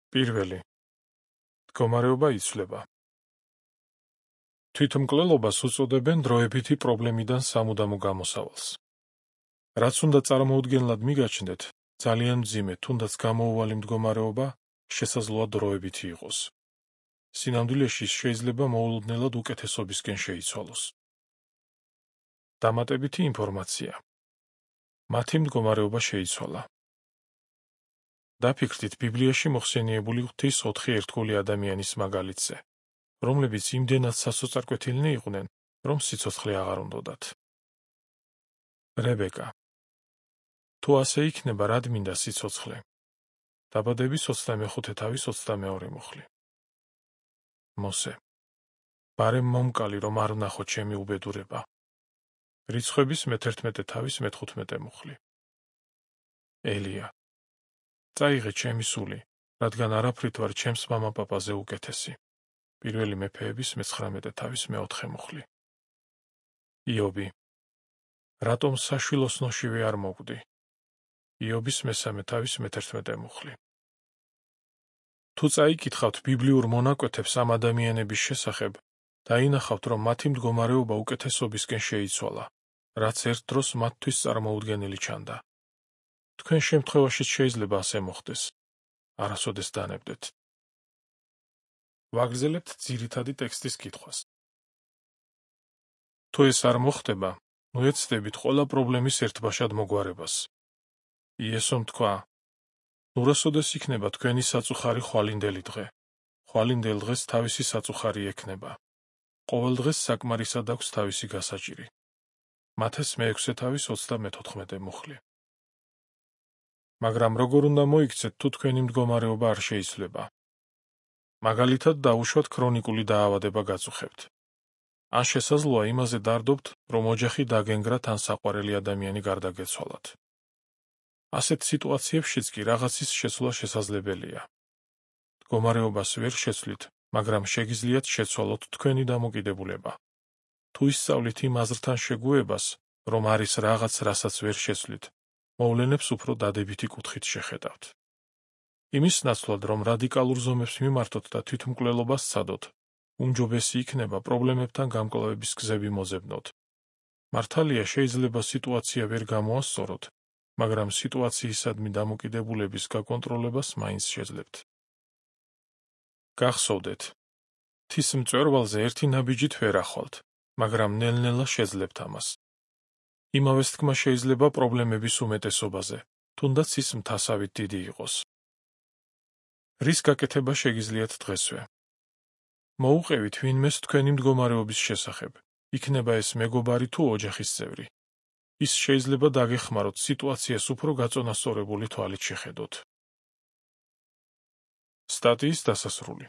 პირველი. მდგომარეობა იცვლება. თვითმკვლელობას უწოდებენ დროებითი პრობლემიდან სამუდამო გამოსავალს. რაც უნდა წარმოუდგენლად მიგაჩნდეთ, ძალიან მძიმე, თუნდაც გამოუვალი მდგომარეობა შესაძლოა დროებითი იყოს. სინამდვილეში შეიძლება მოულოდნელად უკეთესობისკენ შეიცვალოს. დამატებითი ინფორმაცია. მათი მდგომარეობა შეიცვალა. დაფიქრდით ბიბლიაში მოხსენიებული ღვთის 4 ერთგული ადამიანის მაგალითზე, რომლებიც იმდენად სასოწარკვეთილნი იყვნენ, რომ სიცოცხლე აღარ უნდოდათ. რებეკა. თუ ასე იქნება, რად მინდა სიცოცხლე? დაბადების 25 თავის 22 მუხლი. მოსე. ბარემ მომკალი, რომ არ ვნახო ჩემი უბედურება. რიცხვების მე-11 თავის მე-15 მუხლი. ელია. წაიღე ჩემი სული, რადგან არაფრით ვარ ჩემს მამა-პაპაზე უკეთესი. პირველი მეფეების მე-19 თავის მე-4 მუხლი. იობი. რატომ საშვილოსნოშივე არ მოგვდი? იობის მე-3 თავის მე-11 მუხლი. თუ წაიკითხავთ ბიბლიურ მონაკვეთებს ამ ადამიანების შესახებ, დაინახავთ, რომ მათი მდგომარეობა უკეთესობისკენ შეიცვალა, რაც ერთ დროს მათთვის წარმოუდგენელი ჩანდა. თქვენ შემთხვევაშიც შეიძლება ასე მოხდეს. არასოდეს დანებდეთ. ვაგრძელებთ ძირითადი ტექსტის კითხვას. თუ ეს არ მოხდება, ნუ ეცდებით ყველა პრობლემის ერთბაშად მოგვარებას. იესომ თქვა: ნუ რასოდეს იქნება თქვენი საწუხარი ხვალინდელი დღე? ხვალინდელ დღეს თავისი საწუხარი ექნება. ყოველ დღეს საკმარისად აქვს თავისი გასაჭირი. მათეს მე-6 თავის 34 მუხლი. მაგრამ როგორ უნდა მოიქცეთ, თუ თქვენი მდგომარეობა არ შეიცვლება? მაგალითად დავუშვათ ქრონიკული დაავადება გაწუხებთ. ან შესაძლოა იმაზე დარდობთ, რომ ოჯახი დაგენგრათ ან საყვარელი ადამიანი გარდაგეცვალათ. ასეთ სიტუაციებშიც კი რაღაცის შეცვლა შესაძლებელია. მდგომარეობას ვერ შეცვლით, მაგრამ შეგიძლიათ შეცვალოთ თქვენი დამოკიდებულება. თუ ისწავლით იმ აზრთან შეგუებას, რომ არის რაღაც, რასაც ვერ შეცვლით, მოვლენებს უფრო დადებითი კუთხით შეხედავთ. იმის ნაცვლად, რომ რადიკალურ ზომებს მიმართოთ და თვითმკვლელობას სცადოთ, უმჯობესი იქნება პრობლემებთან გამკლავების გზები მოძებნოთ. მართალია შეიძლება სიტუაცია ვერ გამოასწოროთ, მაგრამ სიტუაციისადმი დამოკიდებულების გაკონტროლებას მაინც შეძლებთ. გახსოვდეთ, მთის მწვერვალზე ერთი ნაბიჯით ვერ ახვალთ, მაგრამ ნელ-ნელა შეძლებთ ამას. იმავეს თქმა შეიძლება პრობლემების უმეტესობაზე, თუნდაც ის მთასავით დიდი იყოს. რის გაკეთება შეგიძლიათ დღესვე? მოუყევით ვინმეს თქვენი მდგომარეობის შესახებ, იქნება ეს მეგობარი თუ ოჯახის წევრი. ის შეიძლება დაგეხმაროთ სიტუაციას უფრო გაწონასწორებული თვალით შეხედოთ. სტატიის დასასრული.